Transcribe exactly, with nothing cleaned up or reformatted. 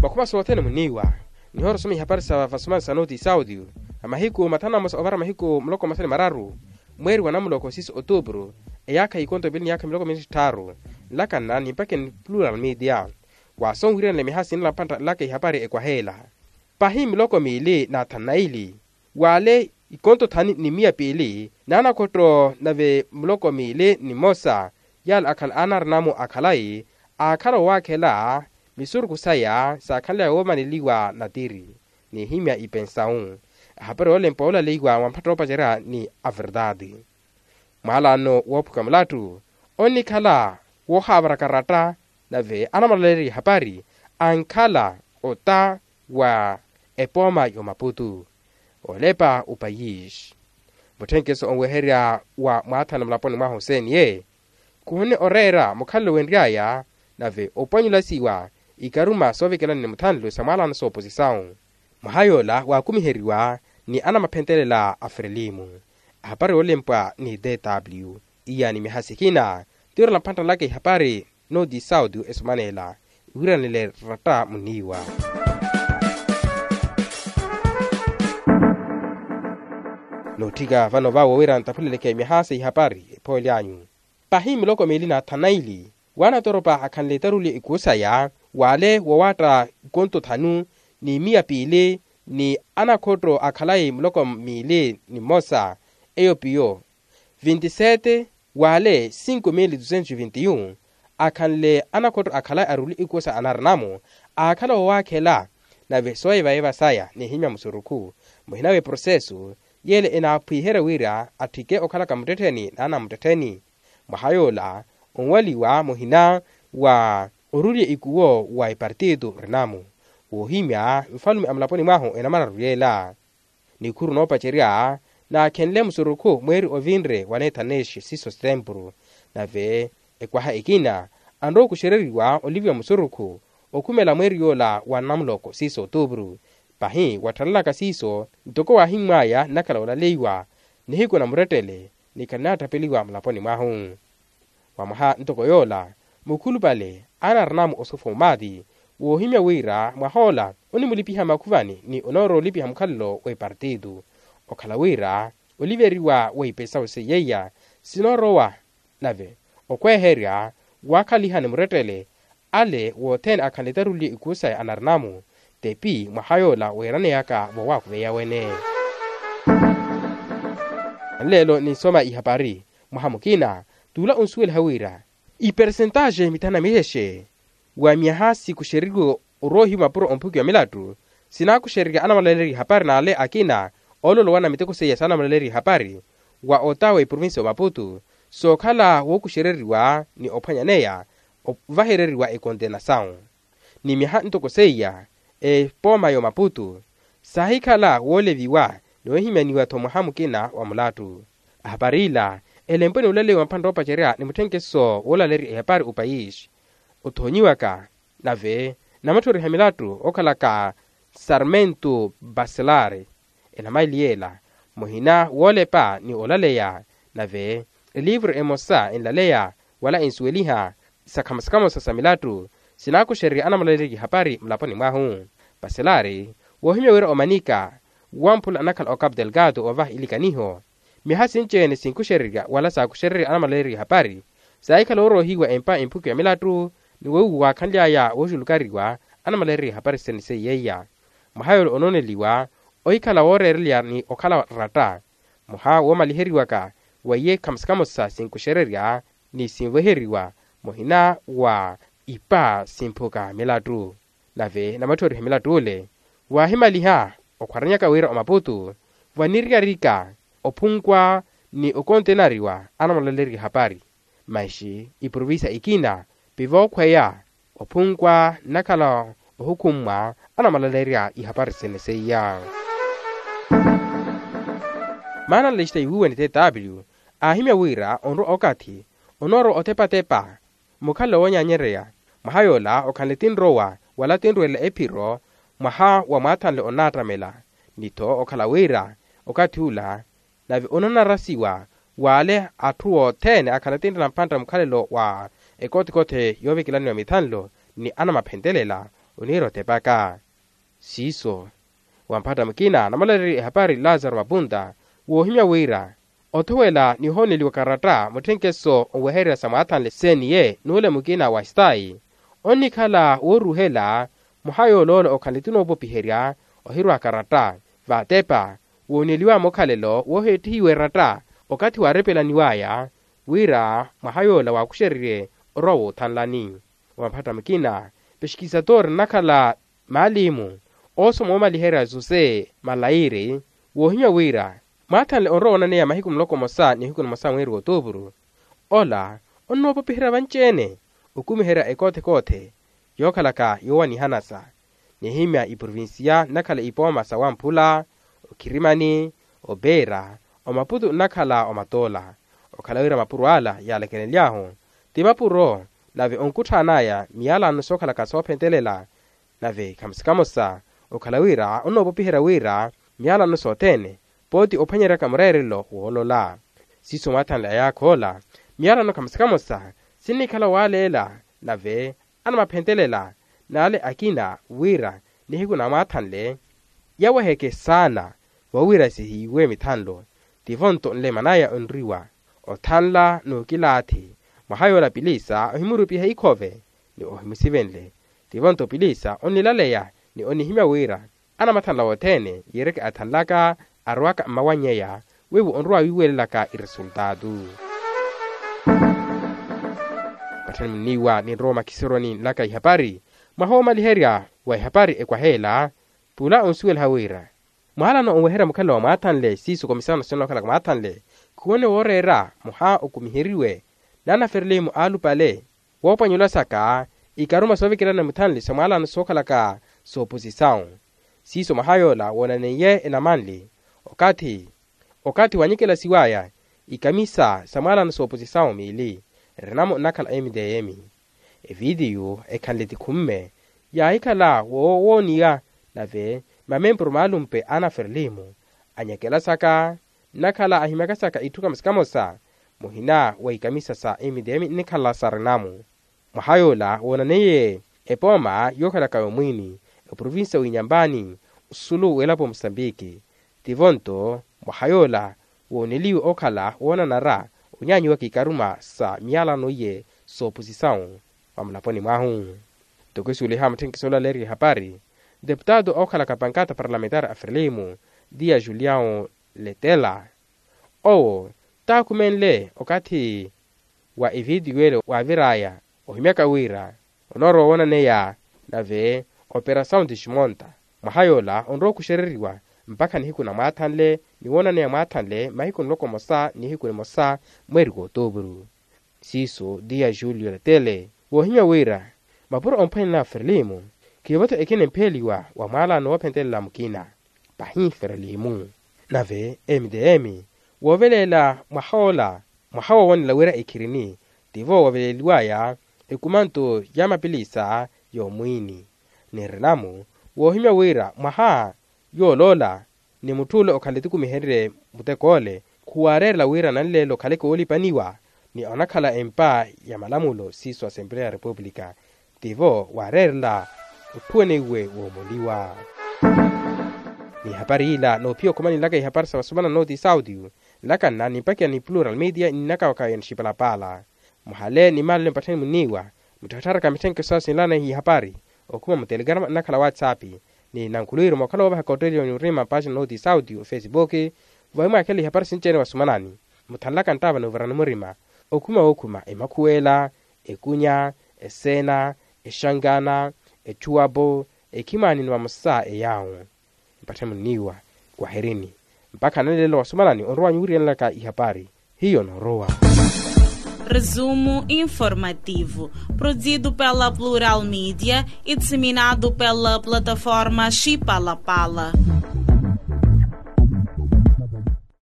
Vakhuma sothene muniiwa nihoora osoma ihapari sa vasomani sa noti saudio. A mahiku mathanu na mosa ovara mahiku muloko masani mararu, mweeri wa namuloko sisi otuupuru, eyaakha ikonto ivili ni yaakha miloko miili ni tthaaru, nlakanna ni mpakeni plural media. Waaso nwiriyanela miha sinala mpantta nlaka ihapari ekwaheela. Pahi miloko miili na thanu na ili, waale ikonto thanu ni miya piili naanakhotto nave muloko miili ni mmosa, yaala akhala aanarinamu a khalayi, aakhala owaakhela misurukhu saya saakhanly'aya woomaneliwa natiri. N'ihimya ipensawu. Ahapari oolempwa oolaleiwa mwa mphatta oopacerya ni averdade. Mwaalano woophuka mulattu onnikhala woohavaraka ratta, nave anamwalaleerya ihapari ankhala ota wa epooma y'omaputu, olepa opayisi. Mutthenkeso onweherya wa mwaathana mulaponi mwahu seniye, khuhonne oreera mukhalelo wenry'aya, nave opwanyulasiwa ikaruma soovekelani ni muthanlo sa mwaalano sooposisawu. Mwaha yoola waakumiheriwa ni anamaphentelela a frelimu. Ahapari oolempwa ni tw iya ni miha sikina, tiirela mphantta nlaka ihapari noti saudio esomaneela, iwiranele ratta muniiwa. Nootthika vano vawo wira ntaphuleleke miha sa ihapari ephoolyanyu. Pahi miloko miili na thanu na ili, waanatoropa akhanle taruli ikuu saya, waale wowaatta ikonto thanu ni miya piili ni anakhotto akhalayi miloko miili ni mmosa, eyo piyo vinti sete, waale cinco mili dusentos vinti yu, akhanle anakhotto akhalayi aruli ikuu sa anarinamu, aakhala wowaakhela, nave sooyevayeva saya n'ihimya musurukhu, muhina w'eprosesu yeele enaaphwiherya wira atthike okhalaka muttettheni n'anamuttettheni. Mwaha yoola onwaliwa muhina wa orulye ikuwo wa epartitu rinamu, woohimya nfalume a mulaponi mwahu enamararu yeela. Nikhuru noopacerya naakhenle musurukhu mweeri ovinre wa neethaneshi siso stempuru, nave ekwaha ekina anrowa okuxereriwa oliviwa musurukhu okhumela mweeri yoola wa namuloko siso otuupuru. Pahi watthalalaka siiso, ntoko waahimmwaya nnakhala olaleiwa nihiku na murettele, ni khannaatthapeliwa mulaponi mwahu. Wa mwaha ntoko yoola, mukhulupale anarinamu osofomati woohimya wira mwahoola onimulipiha makhuvani ni onoorowa olipiha mukhalelo w'epartitu. Okhala wira oliveriwa wa ipesawu seiyeiya sinoorowa, nave okweherya waakhaliha ni murettele ale wothene akhanle taruli ikuu saya anarinamu, tepi mwaha yoola weeraneyaka vowaakuveya wene. Nleelo ninsoma ihapari mwaha mukina, t'ula onsuweliha wira ipersentaxe mithanu na mixexe wa miyaha sikuxeriwe oroohiwa mapuro omphukiwa milattu, sinaakuxererya anamwalaleerya ihapari n'ale akina oololowana miteko seiya s'anamwalaleerya ihapari wa ota w'eprovincia y'omaputu, sookhala wookuxereriwa ni ophwanyaneya ovahereriwa ekontenasawu. Ni miyaha ntoko seiya epooma y'omaputu saahikhala wooleviwa ni woohimyaniwa-tho mwaha mukina wa mulattu. Ahapari ila elempwe ni ulaleyiwa mpantta oopacerya ni mutthenkeso woolaleerya ehapari opayisi othoonyiwaka, nave namatthoriha milattu okhalaka sarmentu baselari enamaliyeela muhina woolepa ni olaleya, nave eliivuru emosa enlaleya wala ensuweliha sakhamasikhamosa sa milattu sinaakuxererya anamwalaleerya ihapari mulaponi mwahu. Paselari woohimya wira omanika wamphula anakhala ocapu delgado ovaha ilikaniho, miyaha sinci-ene sinkuxererya wala saakuxererya anamwalaleerya ihapari saahikhala ooroohiwa empa emphukiwa milattu, ni weiwo waakhanly'aya wooxulukariwa anamwalaleerya ihapari sene seiyeiya. Mwaha yoola onooneliwa ohikhala wooreereleya ni okhala ratta. Mwaha woomaliheriwaka weiye khamosikhamosa sinkuxererya ni sinveheriwa muhina wa ipa simphuka milattu. Nave namatthoriha milattu ole waahimaliha okhwaranyaka wira omaputu vaniriyarika ophunkwa ni okontenariwa anamwalaleerya ihapari. Manxi iprovincia ikina pivookhweya ophunkwa nnakhala ohukhummwa anamwalaleerya ihapari sene seiya. Maana nlexita iwuuwene tw aahimya wira onrowa okathi onoorowa otepatepa mukhalelo woonyanyereya. Mwaha yoola okhanle tinrowa wala tinrwelela ephiro mwaha wa mwaathanle onnaattamela. Ni-tho okhala wira okathi ula nave onanarasiwa w'ale atthu othene akhala tintta na mpantta mukhalelo wa ekotikoti yoovekelaniwa mithanlo ni anamaphentelela. oniira otepaka. Siiso wamphatta mukina namalaleri ehapari lazaro mapunta woohimya wira othowela ni ohooneliwa karatta mutthenkeso onwehererya sa mwaathanle seeniye n'ule mukina wa stayi onnikhala wooruhela mwaha yooloola okhanle ti noopopiherya ohirwa karatta vatepa wooneliwa mukhalelo wooheettihiwa eratta okathi waarepelaniwaya wira mwaha yoola waakuxererye orwa woothanlani. Wa maphatta mukina pexkisatori nnakhala maalimu oosoma oomaliherya zose malayiri woohimya wira mwaathanle onrowa onaneya mahiku muloko mosa ni hiku nimosa mweeri w'otuupuru ola onnoopopiherya vanci-ene okumiherya ekoothe-koothe yookhalaka yoowanihanasa nihimya iprovinsiya nnakhala ipooma sa wamphula okhirimani opeera omaputu nnakhala omatoola okhala wira mapuro ala yaalekelenly'ahu ti mapuro nave onkutthaan'aya miyalano sookhalaka soophentelela nave khamusi kamosa okhala wira onnoopopiherya wira miyalano sothene pooti ophwanyeryaka mureerelo woolola siiso mwaathanle ayaakha ola miyalano khamusi kamosa sinnikhala waaleela nave anamaphentelela n'ale akina wira nihiku namwaathanle yaweheke saana vowira sihiiwe mithanlo tivo nto nleman'aya onriwa othanla n'ukilaathi mwaha yoola pilisa ohimurupiha ikhove ni ohimusivenle tivo nto pilisa onnilaleya ni onnihimya wira anamathanla wothene yiireke athanlaka arowaka mmawannyeya wiiwo onrowa wiiwelelaka iresultaatu. Patthani munniiwa ninrowa omakhiseroni nlaka ihapari mwaha woomaliherya wa ihapari ekwaheela pula onsuwelaha wira mwaalano onweherya mukhalelo wa mwaathanle siiso komisano sinookhalaka mwaathanle khuwone wooreera mwaha okumiheriwe n'anaferelimu aalupale woopwanyolasaka ikaruma soovikerana muthanli sa mwaalano sookhalaka sooposisawu siiso mwaha yoola woonaneiye enamanli okathi okathi wanyikelasiwaya ikamisa sa mwaalano sooposisawu miili rinamu nnakhala m d m evitiyu ekhanle tikhumme yaahikhala woowooniya nave mamempuru maalumpe anaferelimu anyekelasaka nnakhala ahimyakasaka itthu kamosa kamosa muhina wa ikamisa sa m d m nnikhala sa rinamu mwaha yoola woonaneiye epooma yookhalaka yomwiini eprovinsiya w'inyambani osulu w'elapo musambiki tivo nto mwaha yoola wooneliwe okhala woonanara onyaanyiwaka ikaruma sa miyalano iye sooposisawu vamulaponi mwahu. Toko esuweliha mutthenkiso ola aleeriwa ehapari deputado ookhalaka pankata parlamentari a frelimo dia juliao letela owo taakhumenle okathi wa evitiyu ele waavir'aya ohimyaka wira onoorowa woonaneya nave operasawu nti ximonta mwaha yoola onrowa okuxereriwa mpakha nihiku namwaathanle ni woonaneya mwaathanle mahiku nloko mosa nihiku nimosa mweeri w'otuupuru siiso dia julio letele woohimya wira mapuro omphwanela frelimo khiivo-tho ekina empheliwa wa mwaalano woophentelela mukina pahi frelimo nave m d m wooveleela mwaha ola mwaha woowonela wira ekhirini tivo woveleliwaya ekumanto ya mapilisa y'omwiini ni rinamu woohimya wira mwaha yooloola ni mutth'ule okhala etikumihererye mutek'ole khuwaareerela wira nanleelo okhaleke woolipaniwa ni onakhala empa ya malamulo siiso asempleya ya repupulika tivo waareerela otthuweneiwe woomoliwa. N'ihapari yila noophiya okhumani nlaka ihapari sa vasumana nooti saudio nlaka nna nimpakiya ni plural media ninakawaka ya nixipalapaala muhale ni maalelo mpatthani muniiwa muttharatharaka mitthenkeso sinlana ihapari okhuma mutelegrama nnakhala whatsapp ni nankhuluwiru mookhala woovahaka otteeliwa ni orima mpaaxina nooti saudio ofesipuki vawi mwaakhela ihapari sinci-ene vasumanani muthanlaka nttaava n'uvirani murima okhuma wookhuma emakhuwela ekunya eseena exankana etchuwapo ekhimani ni vamosa eyaawo mpatthani munniiwa wahirini mpakha nanleelo wasumanani onrowanyu wiriyanelaka ihapari hiyo noorowa. Resumo informativo, produzido pela Plural Mídia e disseminado pela plataforma Chipalapala.